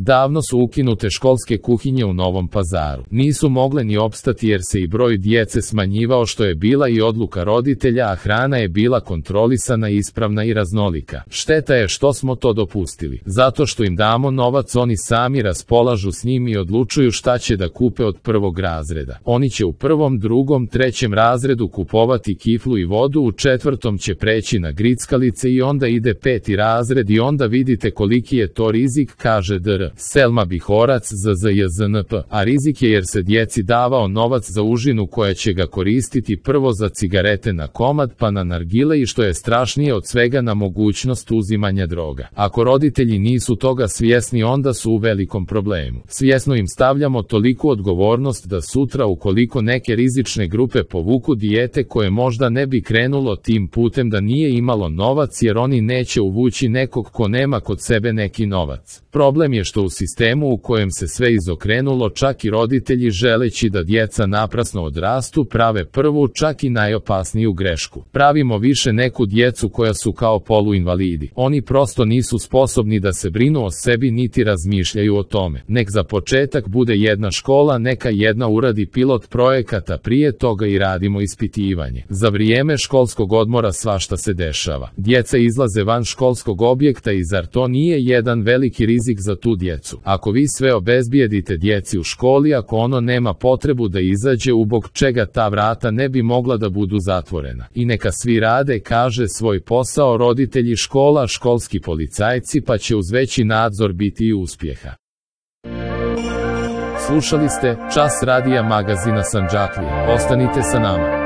Davno su ukinute školske kuhinje u Novom Pazaru. Nisu mogle ni opstati jer se i broj djece smanjivao, što je bila i odluka roditelja, a hrana je bila kontrolisana, ispravna i raznolika. Šteta je što smo to dopustili. Zato što im damo novac, oni sami raspolažu s njim i odlučuju šta će da kupe od prvog razreda. Oni će u prvom, drugom, trećem razredu kupovati kiflu i vodu, u četvrtom će preći na grickalice i onda ide peti razred i onda vidite koliki je to rizik, kaže Dr. Selma Bihorac za ZJZNP. A rizik je jer se djeci davao novac za užinu koja će ga koristiti prvo za cigarete na komad, pa na nargile i što je strašnije od svega, na mogućnost uzimanja droga. Ako roditelji nisu toga svjesni, onda su u velikom problemu. Svjesno im stavljamo toliku odgovornost da sutra ukoliko neke rizične grupe povuku dijete koje možda ne bi krenulo tim putem da nije imalo novac, jer oni neće uvući nekog ko nema kod sebe neki novac. Problem je što u sistemu u kojem se sve izokrenulo, čak i roditelji želeći da djeca naprasno odrastu prave prvu, čak i najopasniju grešku. Pravimo više neku djecu koja su kao poluinvalidi. Oni prosto nisu sposobni da se brinu o sebi niti razmišljaju o tome. Nek za početak bude jedna škola, neka jedna uradi pilot projekata prije toga i radimo ispitivanje. Za vrijeme školskog odmora svašta se dešava. Djeca izlaze van školskog objekta i zar to nije jedan veliki rizik za tu djecu? Ako vi sve obezbijedite djeci u školi, ako ono nema potrebu da izađe, ubog čega ta vrata ne bi mogla da budu zatvorena? I neka svi rade, kaže, svoj posao, roditelji, škola, školski policajci, pa će uz veći nadzor biti i uspjeha. Slušali ste Čas radija magazina Sandžaklija. Ostanite sa nama.